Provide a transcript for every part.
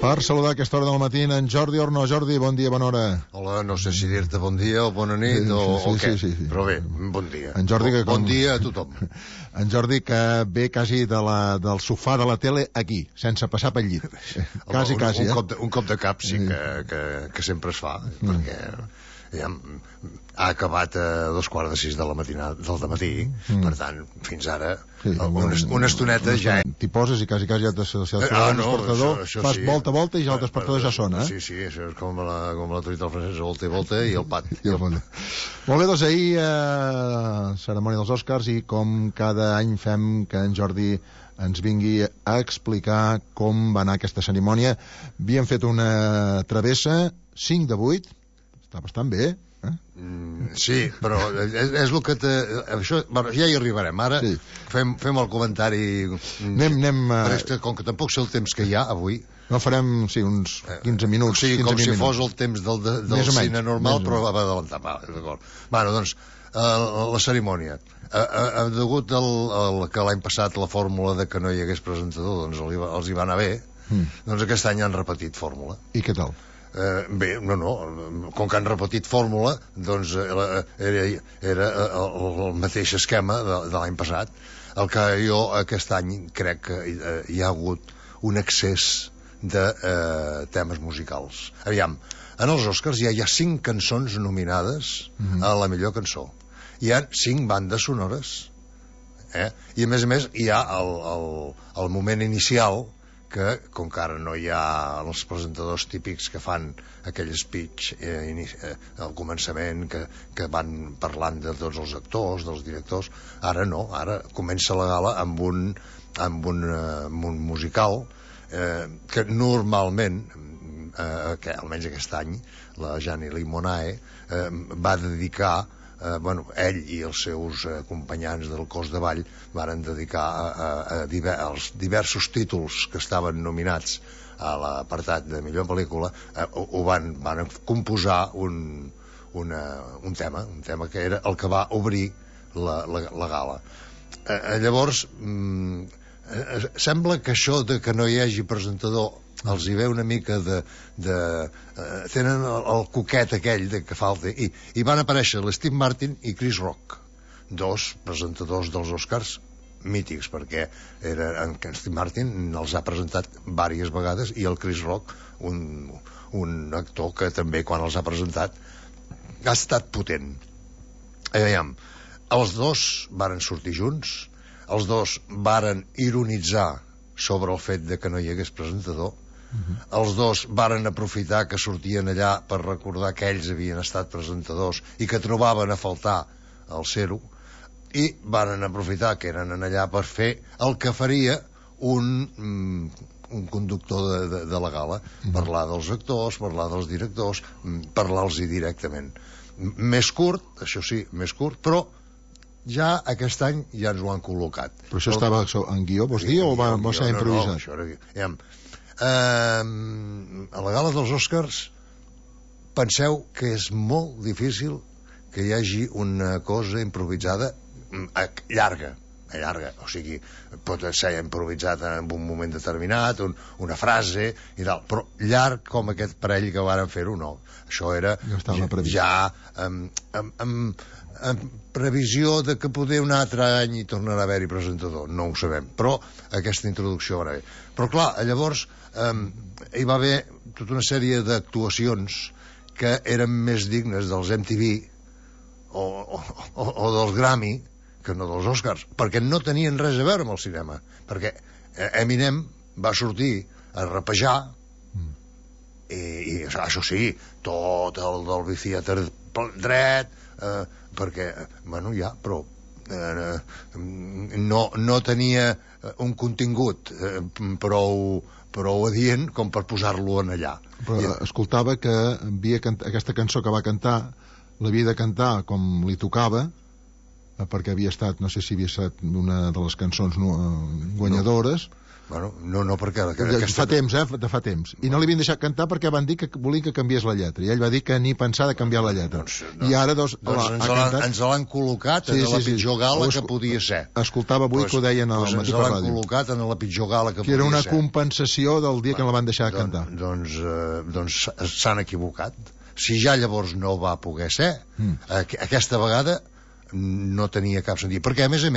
Per saludar a aquesta hora del matí en Jordi Orno. Jordi, bon dia, bona hora. Hola, no sé si dir-te bon dia o bona nit o què, però bé, bon dia. En Jordi, bon dia a tothom. En Jordi, que ve quasi del sofà de la tele aquí, sense passar pel llit. Quasi, un cop de cap sí que sempre es fa, perquè ja ha acabat a 5:15 del matí, per tant, fins ara una estoneta ja... T'hi poses i quasi ja t'has despertat el despertador, fas volta i ja el despertador ja sona. Sí, això és com la truita del francès, volta i el pat. Molt bé, doncs ahir cerimònia dels Oscars, i com cada any fem que en Jordi ens vingui a explicar com va anar aquesta cerimònia. Havíem fet una travessa, 5 de 8, està bastant bé, sí, però és el que això, ja hi arribarem. Ara fem el comentari. Com que tampoc sé el temps que hi ha avui. No, farem, uns 15 minuts. Sí, com si fos el temps del cine normal, però va adelantar. D'acord. Bueno, doncs, la cerimònia. Degut que l'any passat la fórmula de que no hi hagués presentador doncs els hi va anar bé, doncs aquest any han repetit fórmula. I què tal? Bé, com que han repetit fórmula, doncs era el mateix esquema de l'any passat. El que jo aquest any crec que hi ha hagut un excés de temes musicals. Aviam, en els Oscars ja hi ha 5 cançons nominades a la millor cançó. Hi ha 5 bandes sonores, i a més hi ha el moment inicial, que com que ara no hi ha els presentadors típics que fan aquell speech al començament que van parlant de tots els actors, dels directors, ara no, ara comença la gala amb un musical que normalment, almenys aquest any, la Jeannie Limonae va dedicar, ell i els seus acompanyants del cos de ball varen dedicar als diversos títols que estaven nominats a l'apartat de millor pel·lícula, van composar un tema que era el que va obrir la gala. Llavors sembla que això de que no hi hagi presentador els hi ve una mica tenen el coquet aquell de que falta, i van aparèixer l'Steve Martin i Chris Rock, 2 presentadors dels Oscars mítics, perquè en Steve Martin els ha presentat diverses vegades, i el Chris Rock un actor que també quan els ha presentat ha estat potent. Aviam, els 2 varen sortir junts, els 2 varen ironitzar sobre el fet de que no hi hagués presentador. Els 2 varen aprofitar que sortien allà per recordar que ells havien estat presentadors i que trobaven a faltar el ser-ho, i varen aprofitar que eren allà per fer el que faria un conductor de la gala, parlar dels actors, parlar dels directors, parlar-los directament. Més curt, això sí, però ja aquest any ja ens ho han col·locat. Però això estava en guió, vols dir, o va ser improvisat? No, això era guió. A la gala dels Oscars penseu que és molt difícil que hi hagi una cosa improvisada llarga, o sigui, pot ser improvisat en un moment determinat, una frase i tal, però llarg com aquest parell que varen fer-ho, no. Això era ja en previsió de que poder un altre any hi tornarà a haver-hi presentador, no ho sabem, però aquesta introducció va bé. Però clar, llavors hi va haver tota una sèrie d'actuacions que eren més dignes dels MTV o dels Grammy que no dels Oscars, perquè no tenien res a veure amb el cinema, perquè Eminem va sortir a rapejar i això sí, tot el Dolby Theatre dret, perquè, però no tenia un contingut prou adient com per posar-lo en allà. Però escoltava que aquesta cançó que va cantar l'havia de cantar com li tocava, perquè havia estat, no sé si havia estat una de les cançons guanyadores, Bueno, no, perquè... Fa temps, de fa temps. I no li havien deixat cantar perquè van dir que volien que canviés la lletra. I ell va dir que ni pensar de canviar la lletra. I ara, ens l'han col·locat en la pitjor gala que podia ser. Escoltava avui que ho deien a la Matí per Ràdio. Ens l'han col·locat en la pitjor gala que podia ser. Que era una compensació del dia que no la van deixar cantar. Doncs s'han equivocat. Si ja llavors no va poder ser, aquesta vegada no tenia cap sentit. Perquè, a més,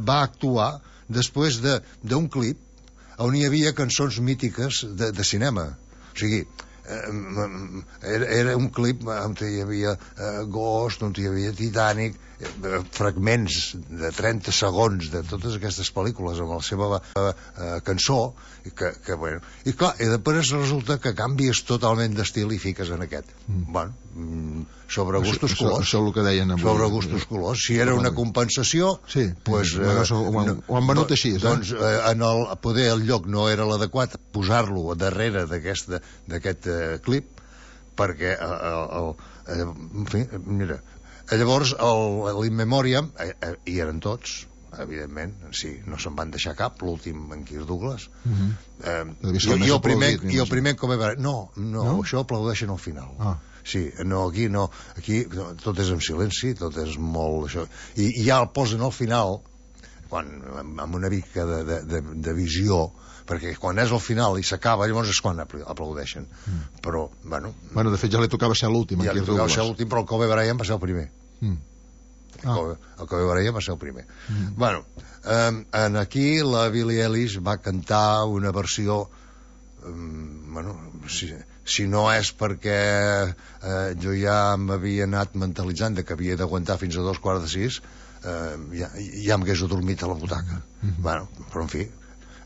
va actuar després d'un clip on hi havia cançons mítiques de cinema. O sigui, era un clip on hi havia Ghost, on hi havia Titanic, fragments de 30 segons de totes aquestes pel·lícules amb la seva cançó, bueno, i clar, i després resulta que canvies totalment d'estil i fiques en aquest. Bueno, sobre gustos colors. Això és el que deien avui. Sobre gustos colors. Si era una compensació, pues, ho han venut així. Doncs poder el lloc no era l'adequat posar-lo darrere d'aquest clip, perquè en fi, mira, llavors l'In Memoriam hi eren tots, evidentment, sí, no se'n van deixar cap, l'últim en Kirk Douglas. I el primer com va... No, això aplaudeixen al final. Sí, aquí tot és en silenci, tot és molt això, i ja el posen al final amb una mica de visió, perquè quan és al final i s'acaba, llavors és quan aplaudeixen. Però, bueno, de fet ja li tocava ser l'últim. Ja li tocava ser l'últim, però el Kobe Bryant va ser el primer. El Kobe Bryant va ser el primer. Bueno, aquí la Billie Eilish va cantar una versió, bueno, si no és perquè jo ja m'havia anat mentalitzant que havia d'aguantar fins a 2:45, ja m'hagués adormit a la butaca. Bueno, però en fi,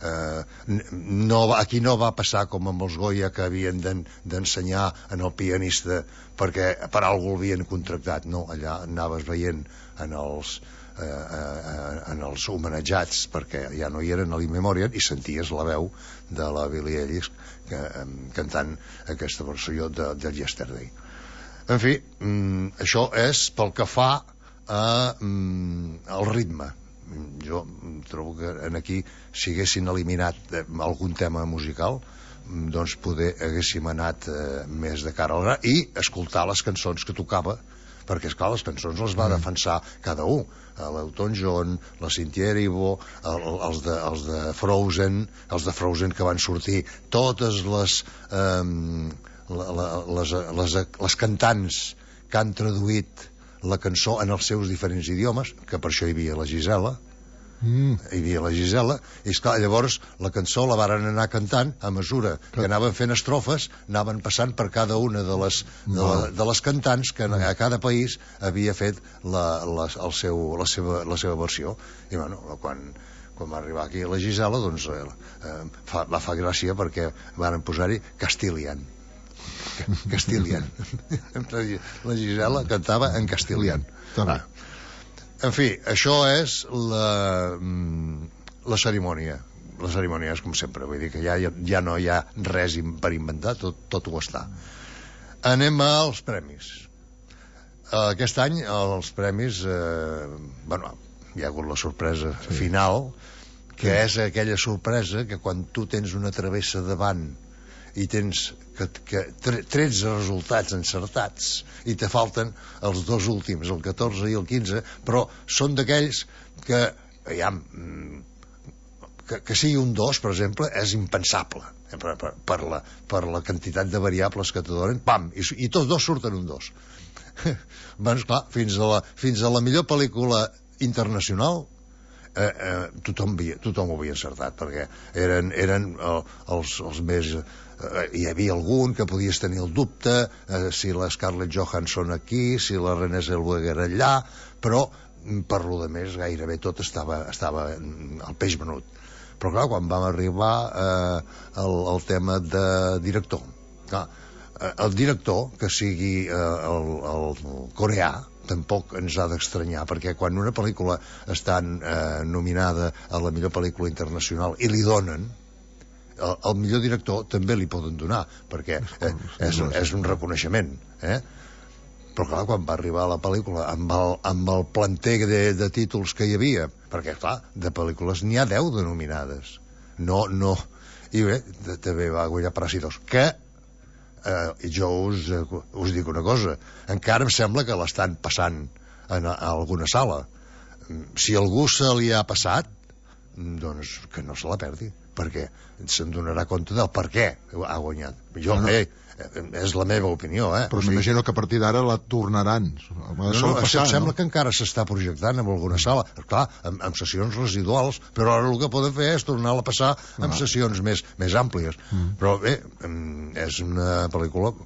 aquí no va passar com amb els Goya, que havien d'ensenyar en el pianista perquè per algú l'havien contractat. No, allà anaves veient en els homenatjats, perquè ja no hi eren a l'In Memoriam, i senties la veu de la Billie Eilish cantant aquesta versió de Yesterday. En fi, això és pel que fa al ritme. Jo trobo que aquí, si haguessin eliminat algun tema musical, doncs poder haguéssim anat més de cara al gra i escoltar les cançons que tocava, perquè esclar, les cançons les va defensar cada un, l'Elton John, la Cynthia Erivo, els de Frozen que van sortir, totes les cantants que han traduït la cançó en els seus diferents idiomes, que per això hi havia la Gisela, i esclar, llavors la cançó la varen anar cantant a mesura que anaven fent estrofes, anaven passant per cada una de les cantants que a cada país havia fet la seva versió. I bueno, quan va arribar aquí la Gisela, doncs va fer gràcia perquè varen posar-hi Castilian. La Gisela cantava en Castilian. En fi, això és la cerimònia. La cerimònia és com sempre, vull dir que ja no hi ha res per inventar, tot ho està. Anem als premis. Aquest any els premis, bueno, hi ha hagut la sorpresa final, que és aquella sorpresa que quan tu tens una travessa davant i tens 13 resultats encertats i te falten els dos últims, el 14 i el 15, però són d'aquells que que sigui un 2, per exemple, és impensable per la quantitat de variables que te donen, pam, i tots dos surten un 2. Doncs clar, fins a la millor pel·lícula internacional tothom ho havia encertat, perquè eren els més... hi havia algun que podies tenir el dubte si la Scarlett Johansson aquí, si la Renée Zellweger allà, però per lo de més gairebé tot estava al peix venut. Però clar, quan vam arribar al tema de director, clar, el director, que sigui el coreà, tampoc ens ha d'estranyar, perquè quan una pel·lícula està nominada a la millor pel·lícula internacional i li donen, el millor director també li poden donar, perquè és un reconeixement, però clar, quan va arribar la pel·lícula amb el planter de títols que hi havia, perquè clar, de pel·lícules n'hi ha 10 denominades, no. I bé, també va guanyar Paràsitos, que jo us dic una cosa, encara em sembla que l'estan passant a alguna sala. Si algú se li ha passat, doncs que no se la perdi, perquè se'n donarà compte del per què ha guanyat. Jo, és la meva opinió, però m'imagino que a partir d'ara la tornaran. Em sembla que encara s'està projectant en alguna sala, clar, amb sessions residuals, però ara el que poden fer és tornar-la a passar amb sessions més àmplies. Però bé, és una pel·lícula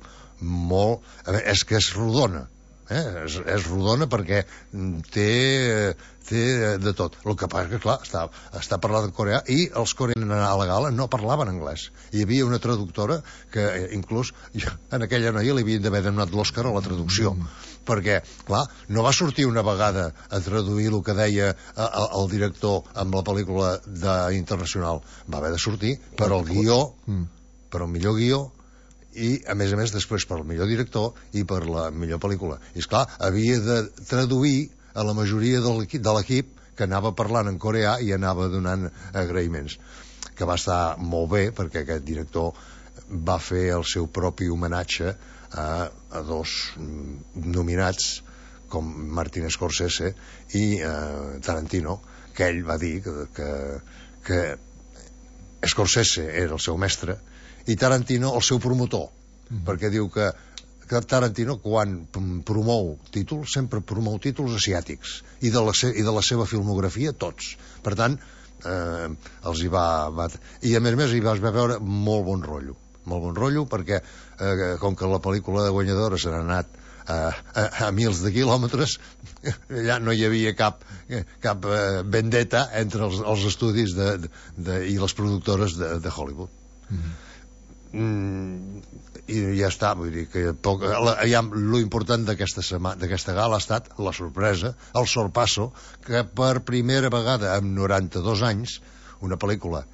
molt... és que és rodona, és rodona perquè té de tot. El que passa que, clar, està parlant en coreà, i els coreans a la gala no parlaven anglès. Hi havia una traductora que inclús en aquella noia li havien d'haver donat l'Òscar a la traducció, perquè, clar, no va sortir una vegada a traduir el que deia el director amb la pel·lícula internacional. Va haver de sortir per al guió, per al millor guió, i a més després per al millor director i per la millor pel·lícula. I esclar, havia de traduir a la majoria de l'equip que anava parlant en coreà i anava donant agraïments, que va estar molt bé perquè aquest director va fer el seu propi homenatge a dos nominats com Martin Scorsese i Tarantino, que ell va dir que Scorsese era el seu mestre i Tarantino el seu promotor, perquè diu que Tarantino, quan promou títols, sempre promou títols asiàtics, i de la seva filmografia tots. Per tant, els hi va... I a més hi va veure molt bon rotllo, perquè com que la pel·lícula guanyadora se n'ha anat a mils de quilòmetres, ja no hi havia cap vendetta entre els estudis i les productores de Hollywood. I ja està, vull dir que lo important d'aquesta gala ha estat la sorpresa, el sorpasso, que per primera vegada en 92 anys una pel·lícula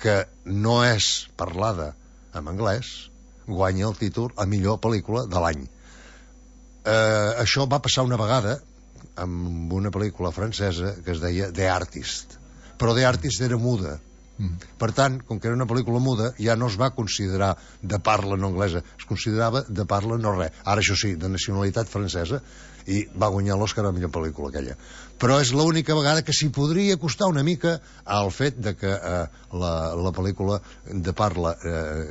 que no és parlada en anglès guanya el títol a millor pel·lícula de l'any. Això va passar una vegada amb una pel·lícula francesa que es deia The Artist, però The Artist era muda. Per tant, com que era una pel·lícula muda, ja no es va considerar de parla no anglesa, es considerava de parla no res. Ara, això sí, de nacionalitat francesa, i va guanyar l'Òscar a la millor pel·lícula aquella. Però és l'única vegada que s'hi podria costar una mica al fet de que la pel·lícula de parla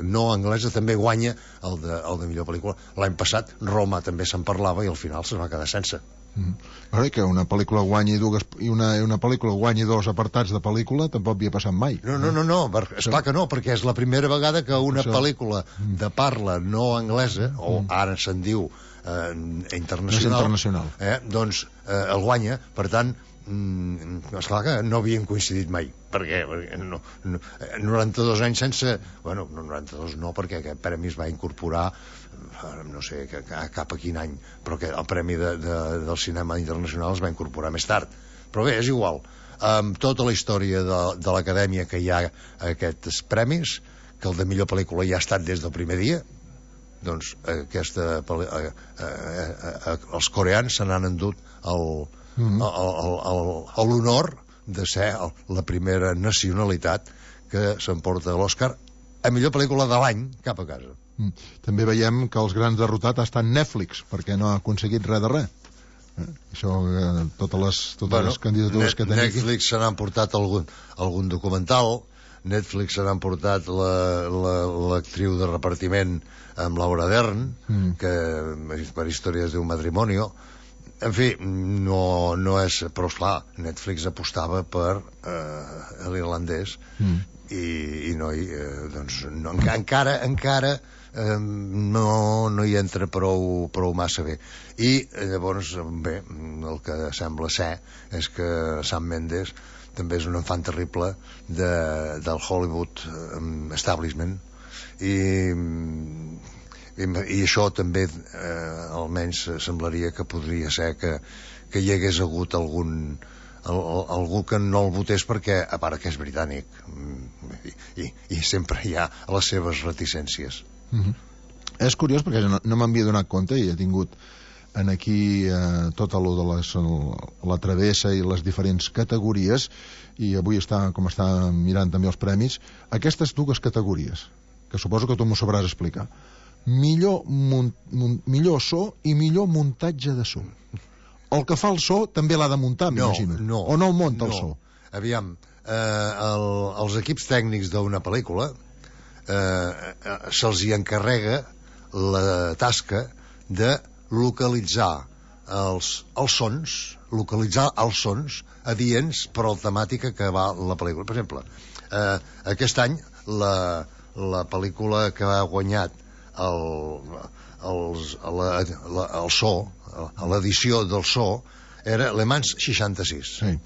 no anglesa també guanya el de millor pel·lícula. L'any passat Roma també se'n parlava i al final se'n va quedar sense. Que una pel·lícula guanyi i una pel·lícula guanyi dos apartats de pel·lícula tampoc havia passat mai. No, esclar que no, perquè és la primera vegada que una pel·lícula de parla no anglesa, o ara se'n diu internacional, doncs el guanya. Per tant, esclar que no havien coincidit mai, perquè 92 anys sense... Bueno, 92 no, perquè aquest premi es va incorporar no sé cap a quin any, però que el premi del cinema internacional es va incorporar més tard. Però bé, és igual. Amb tota la història de l'acadèmia que hi ha aquests premis, que el de millor pel·lícula ja ha estat des del primer dia, doncs els coreans se n'han endut l'honor de ser la primera nacionalitat que s'emporta l'Òscar a millor pel·lícula de l'any cap a casa. També veiem que els grans derrotats ha estat Netflix, perquè no ha aconseguit res de res. Això, totes les candidatures que tenim. Netflix se n'han portat algun documental, Netflix se n'han portat l'actriu de repartiment amb Laura Dern, que per històries d'un matrimonio. En fi, no és... Però, esclar, Netflix apostava per l'irlandès i no hi... doncs, encara no hi entra prou massa bé. I llavors, bé, el que sembla ser és que Sam Mendes també és un enfant terrible del Hollywood establishment, i això també almenys semblaria que podria ser que hi hagués hagut algú que no el votés, perquè a part que és britànic i sempre hi ha les seves reticències. És curiós perquè no m'havia donat compte, i he tingut en aquí tota lo de la travessa i les diferents categories, i avui com està mirant també els premis, aquestes dues categories, que suposo que tu m'ho sabràs explicar. Millor so i millor muntatge de so. El que fa el so també l'ha de muntar, m'imagino. O no el munta el so? Aviam, els equips tècnics d'una pel·lícula se'ls hi encarrega la tasca de localitzar els sons adients per a la temàtica que va la pel·lícula. Per exemple, aquest any la pel·lícula que ha guanyat el so, l'edició del so, era Le Mans 66. Sí.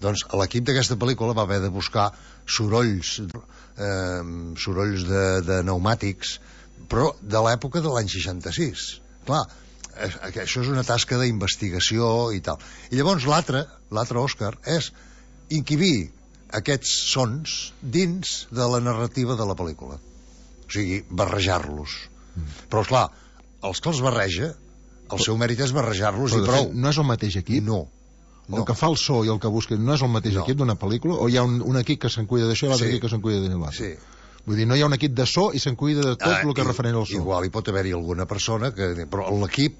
Doncs l'equip d'aquesta pel·lícula va haver de buscar sorolls de pneumàtics, però de l'època de l'any 66. Clar, això és una tasca d'investigació i tal. I llavors l'altre Òscar és inquibir aquests sons dins de la narrativa de la pel·lícula. O sigui, barrejar-los. Però, esclar, els que els barreja, el seu mèrit és barrejar-los i prou. No és el mateix equip? No. El que fa el so i el que busca no és el mateix equip d'una pel·lícula? O hi ha un equip que se'n cuida d'això i l'altre equip que se'n cuida de l'altre? Sí. Vull dir, no hi ha un equip de so i se'n cuida de tot el que referent al so. Igual hi pot haver-hi alguna persona però l'equip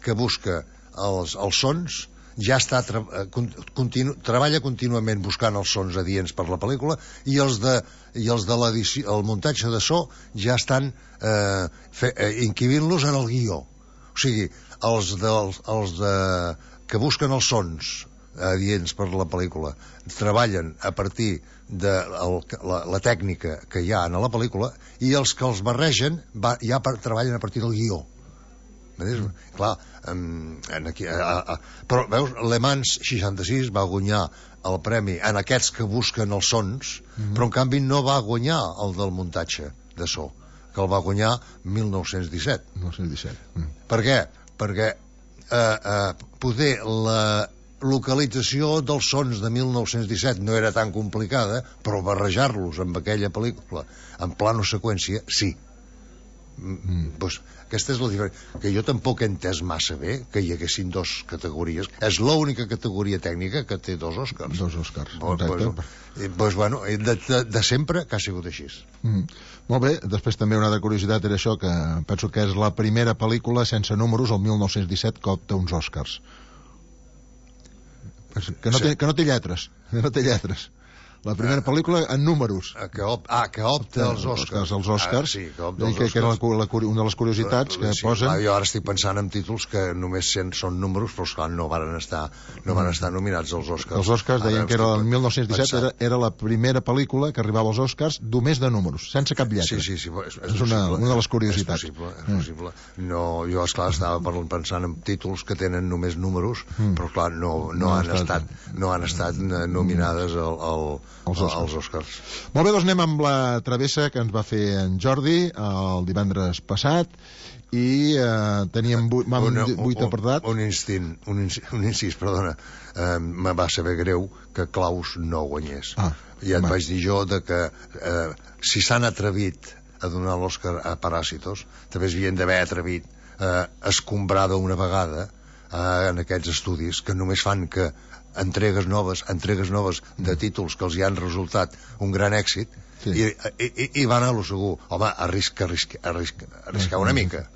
que busca els sons ja està treballa contínuament buscant els sons adients per la pel·lícula, i els de l'edició, el muntatge de so, ja estan inquivint-los en el guió. O sigui, els que busquen els sons adients per la pel·lícula treballen a partir de la tècnica que hi ha en la pel·lícula, i els que els barregen ja treballen a partir del guió. Clar, però veus, Le Mans 66 va guanyar el premi en aquests que busquen els sons, però en canvi no va guanyar el del muntatge de so, que el va guanyar 1917. Per què? Perquè poder la localització dels sons de 1917 no era tan complicada, però barrejar-los amb aquella pel·lícula en plano seqüència, sí. Doncs aquesta és la diferència, que jo tampoc he entès massa bé que hi haguessin dos categories. És l'única categoria tècnica que té dos Oscars. Doncs bueno, de sempre que ha sigut així. Molt bé, després també una altra curiositat era això, que penso que és la primera pel·lícula sense números, el 1917, que opta uns Oscars. Que no té lletres. La primera pel·lícula en números. Que opta els Oscars. Els Oscars. Sí, que opta els Oscars. Que era una de les curiositats que posen. Jo ara estic pensant en títols que només són números, però esclar, no van estar nominats als Oscars. Els Oscars deien que era el 1917 era la primera pel·lícula que arribava als Oscars només de números, sense cap lletra. Sí. És una de les curiositats. És possible. No, jo, esclar, estava pensant en títols que tenen només números, però clar, no han estat nominades als Oscars. Molt bé, doncs anem amb la travessa que ens va fer en Jordi el divendres passat, i teníem 8 apartats. Un incís, perdona. Me va saber greu que Klaus no guanyés. Ja et vaig dir jo que si s'han atrevit a donar l'Oscar a Paràsitos, també s'havien d'haver atrevit a escombrar d'una vegada en aquests estudis que només fan que entregues noves de títols que els hi han resultat un gran èxit, i van a lo segur. Home, arriscar una mica.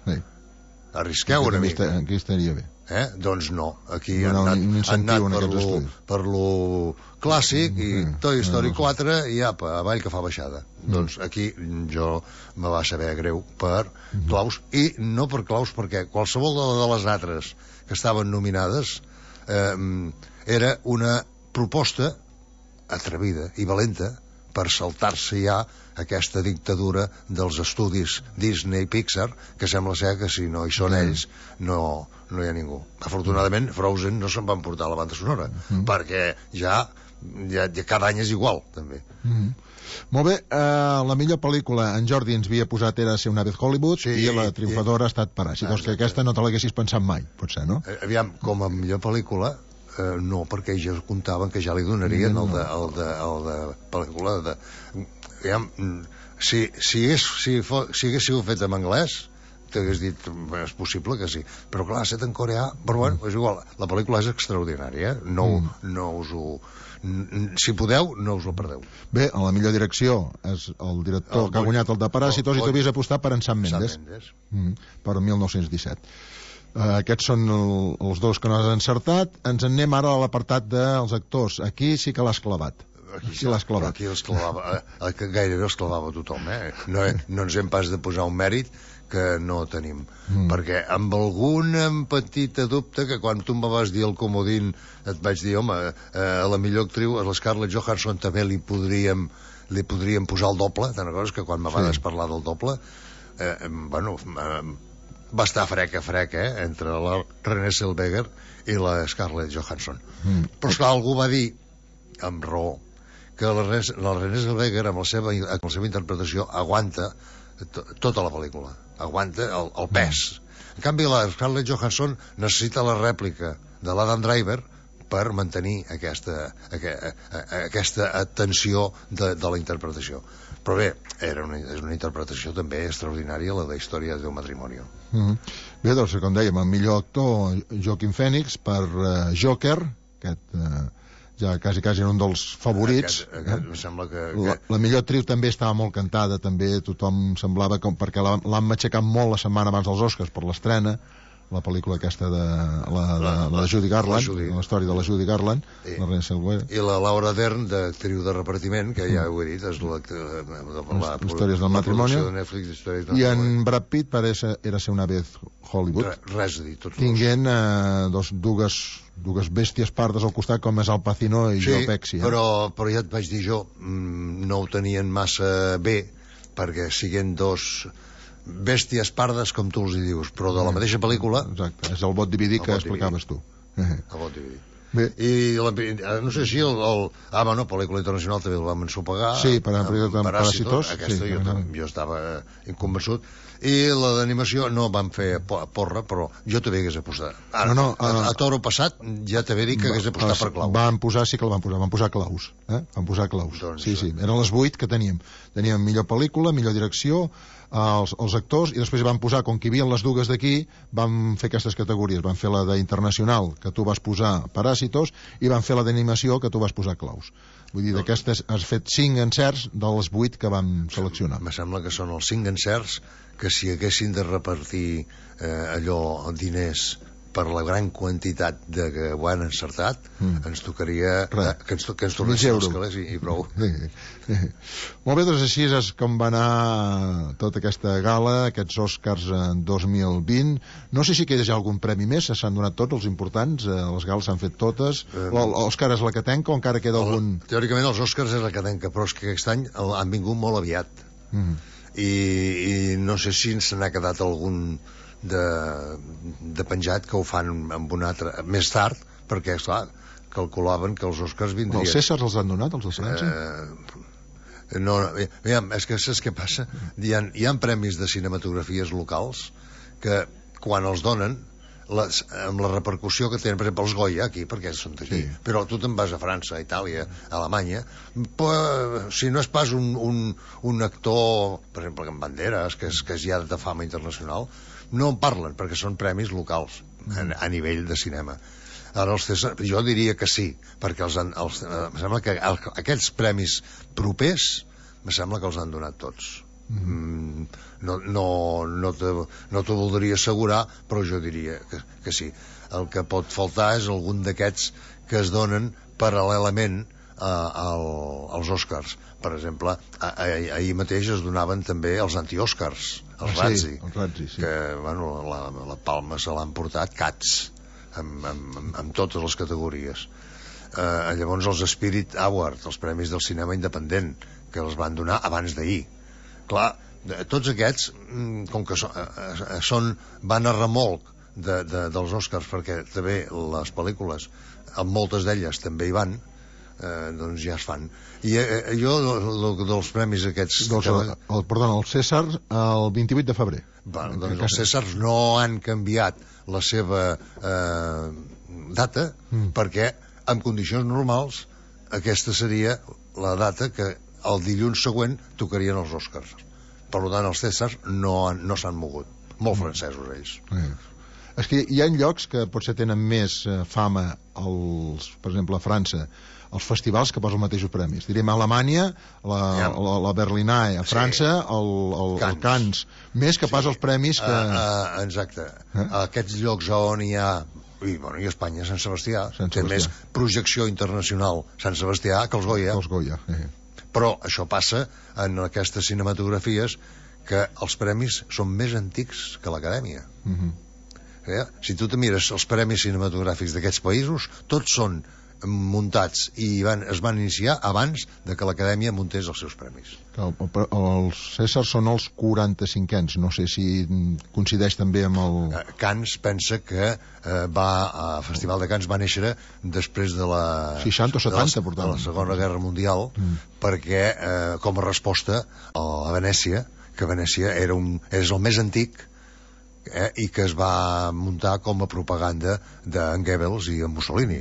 Arrisqueu una mica. Aquí estaria bé. Doncs no, aquí han anat per lo clàssic, i Toy Story 4 i apa, avall que fa baixada. Doncs aquí jo me va saber greu per Klaus, i no per Klaus, perquè qualsevol de les altres que estaven nominades era una proposta atrevida i valenta per saltar-se ja aquesta dictadura dels estudis Disney i Pixar, que sembla ser que si no hi són ells no hi ha ningú. Afortunadament Frozen no se'n van portar a la banda sonora, perquè ja cada any és igual també. Molt bé, la millor pel·lícula en Jordi ens havia posat era Ser una vez Hollywood, i la triomfadora ha estat Paràsitos, que aquesta no te l'haguessis pensat mai, potser, no? Aviam, com a millor pel·lícula no, perquè ja comptaven que ja li donarien el de pel·lícula si hagués sigut fet en anglès, t'hagués dit és possible que sí, però clar, set en coreà, però bueno, és igual, la pel·lícula és extraordinària, no us ho... si podeu, no us la perdeu. Bé, a la millor direcció és el director que ha guanyat el de Paràsitos, i tu havies apostat per en Sam Mendes. Per 1917. Aquests són els dos que no has encertat. Ens en anem ara a l'apartat dels actors. Aquí sí que l'has clavat. Aquí l'has clavat. Aquí els clavava, gairebé els clavava tothom, no ens hem pas de posar un mèrit que no tenim, perquè amb algun petit dubte, que quan tu em vas dir el comodín et vaig dir, home, a la millor actriu, a la Scarlett Johansson també li podríem posar el doble, tant coses que quan me vas parlar del doble, bueno, va estar freca, entre la Renée Zellweger i la Scarlett Johansson. Però esclar, algú va dir, amb raó, que la Renée Zellweger amb la seva interpretació aguanta tota la pel·lícula, aguanta el pes. En canvi, la Scarlett Johansson necessita la rèplica de l'Adam Driver per mantenir aquesta tensió de la interpretació. Però bé, és una interpretació també extraordinària, la de Història d'un matrimoni. Bé, doncs, com dèiem, el millor actor Joaquin Phoenix per Joker, aquest ja quasi era un dels favorits. Em sembla que... La millor actriu també estava molt cantada, també tothom semblava perquè l'han matxacat molt la setmana abans dels Oscars per l'estrena, la pel·lícula aquesta de la Judy Garland, la història de la Judy Garland, la Renée Zellweger. I la Laura Dern, d'actriu de repartiment, que ja ho he dit, és la Històries del matrimoni. I en Brad Pitt era ser una vez Hollywood. Res a dir, tots tinguent dues bèsties pardes al costat, com és Al Pacino i Joe Pesci. Però ja et vaig dir jo, no ho tenien massa bé, perquè siguent dos bèsties pardes, com tu els hi dius, però de la mateixa pel·lícula. Exacte, és el vot dividit que explicaves tu. El vot dividit. I no sé si pel·lícula internacional també el vam ensopegar. Sí, per Paràsitos. Aquesta jo estava inconvençut. I la d'animació no van fer porra, però jo també hagués apostat. A Toro passat ja t'he dit que hagués apostat per Claus. Van posar Claus. Van posar Claus. Sí, eren les 8 que teníem. Teníem millor pel·lícula, millor direcció, els actors, i després van posar, com que hi havia les dues d'aquí, van fer aquestes categories. Van fer la d'internacional, que tu vas posar Paràsitos, i van fer la d'animació, que tu vas posar Claus. Vull dir, d'aquestes has fet 5 encerts de les 8 que vam seleccionar. Me sembla que són els 5 encerts que si haguessin de repartir diners per la gran quantitat que ho han encertat, ens tocaria que ens tornessin els calés i prou. Molt bé, doncs així és com va anar tota aquesta gala, aquests Oscars 2020. No sé si queda ja algun premi més, s'han donat tots els importants, les gales s'han fet totes. L'Òscar és la que tenca o encara queda algun? Teòricament els Oscars és la que tenca, però és que aquest any han vingut molt aviat. I no sé si se n'ha quedat algun de penjat que ho fan amb un altre més tard, perquè esclar, calculaven que els Oscars vindrien. Els Cèsars els han donat, els de França? No, és que saps què passa? Hi ha premis de cinematografies locals que quan els donen amb la repercussió que tenen, per exemple, els Goya aquí, perquè són d'aquí, però tu te'n vas a França, a Itàlia, a Alemanya, si no és pas un actor, per exemple, amb Banderas, que és ja de fama internacional, no en parlen, perquè són premis locals a nivell de cinema. Ara jo diria que sí, perquè em sembla que aquests premis propers me sembla que els han donat tots. No t'ho voldria assegurar, però jo diria que sí. El que pot faltar és algun d'aquests que es donen paral·lelament als Oscars. Per exemple, ahir mateix es donaven també els anti-Oscars, els Razzie, que la palma se l'han portat Cats amb totes les categories. Llavors els Spirit Award, els premis del cinema independent, que els van donar abans d'ahir. Clar, tots aquests, com que van a remolc dels Oscars, perquè també les pel·lícules, amb moltes d'elles també hi van, doncs ja es fan. I jo, dels premis aquests... Perdona, el Cèsar el 28 de febrer. Doncs els Cèsars no han canviat la seva data, perquè en condicions normals aquesta seria la data que el dilluns següent tocarien els Oscars. Per tant, els Cèsars no s'han mogut. molt francesos ells. És que hi ha llocs que potser tenen més fama, per exemple a França, els festivals que posen els mateixos premis. Direm a Alemanya la Berlinale, a França el Cannes, més que pas els premis que... Exacte. Aquests llocs on hi ha, i a Espanya Sant Sebastià té més projecció internacional Sant Sebastià que els Goya. Però això passa en aquestes cinematografies, que els premis són més antics que l'Acadèmia. Si tu te mires els premis cinematogràfics d'aquests països, tots són muntats i es van iniciar abans de que l'Acadèmia muntés els seus premis. Els Cèsars són els 45ens, no sé si coincideix també amb el... Cannes pensa que el Festival de Cannes va néixer després de la 60 o 70, de la Segona Guerra Mundial, perquè com a resposta a Venècia, que Venècia és el més antic, i que es va muntar com a propaganda d'en Goebbels i en Mussolini.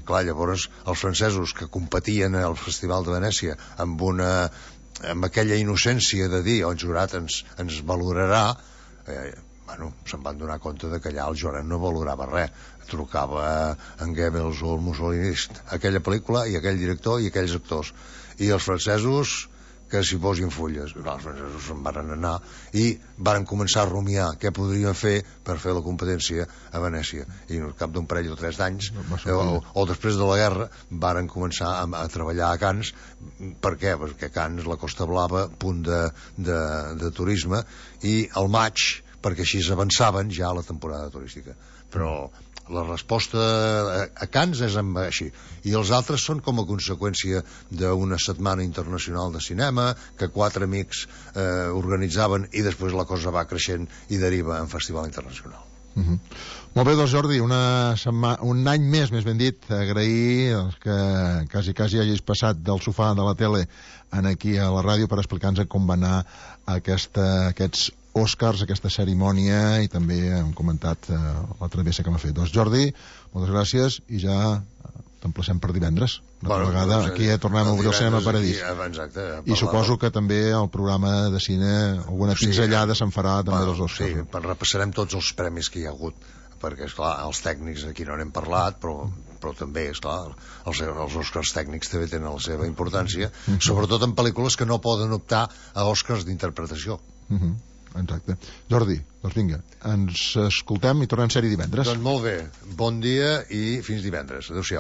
Clar, llavors els francesos que competien al Festival de Venècia amb aquella innocència de dir el jurat ens valorarà, se'n van donar compte de que allà el jurat no valorava res. Trucava en Goebbels o el Mussolini, aquella pel·lícula i aquell director i aquells actors, i els francesos que s'hi posin fulles. Els francesos se'n van anar i van començar a rumiar què podrien fer per fer la competència a Venècia, i al cap d'un parell o 3 d'anys o després de la guerra varen començar a treballar a Cannes. Per què? Perquè Cannes, la Costa Blava, punt de turisme, i al maig, perquè així avançaven ja la temporada turística. Però la resposta a Cannes és així, i els altres són com a conseqüència d'una setmana internacional de cinema que 4 amics organitzaven, i després la cosa va creixent i deriva en festival internacional. Molt bé, doncs Jordi, un any més ben dit, agrair que quasi hagis passat del sofà de la tele aquí a la ràdio per explicar-nos com va anar aquests Oscars, aquesta cerimònia, i també hem comentat la travessa que m'ha fet. Doncs Jordi, moltes gràcies, i ja t'emplacem per divendres. Una vegada aquí tornem a obrir el Cinema Paradís. I suposo que també el programa de cine, alguna pinzellada se'n farà també dels Oscars. Sí, repassarem tots els premis que hi ha hagut, perquè, esclar, els tècnics aquí no n'hem parlat, però també, esclar, els Oscars tècnics també tenen la seva importància, sobretot en pel·lícules que no poden optar a Oscars d'interpretació. Exacte. Jordi, doncs vinga, ens escoltem i tornem a ser-hi divendres. Doncs molt bé, bon dia i fins divendres. Adéu-siau.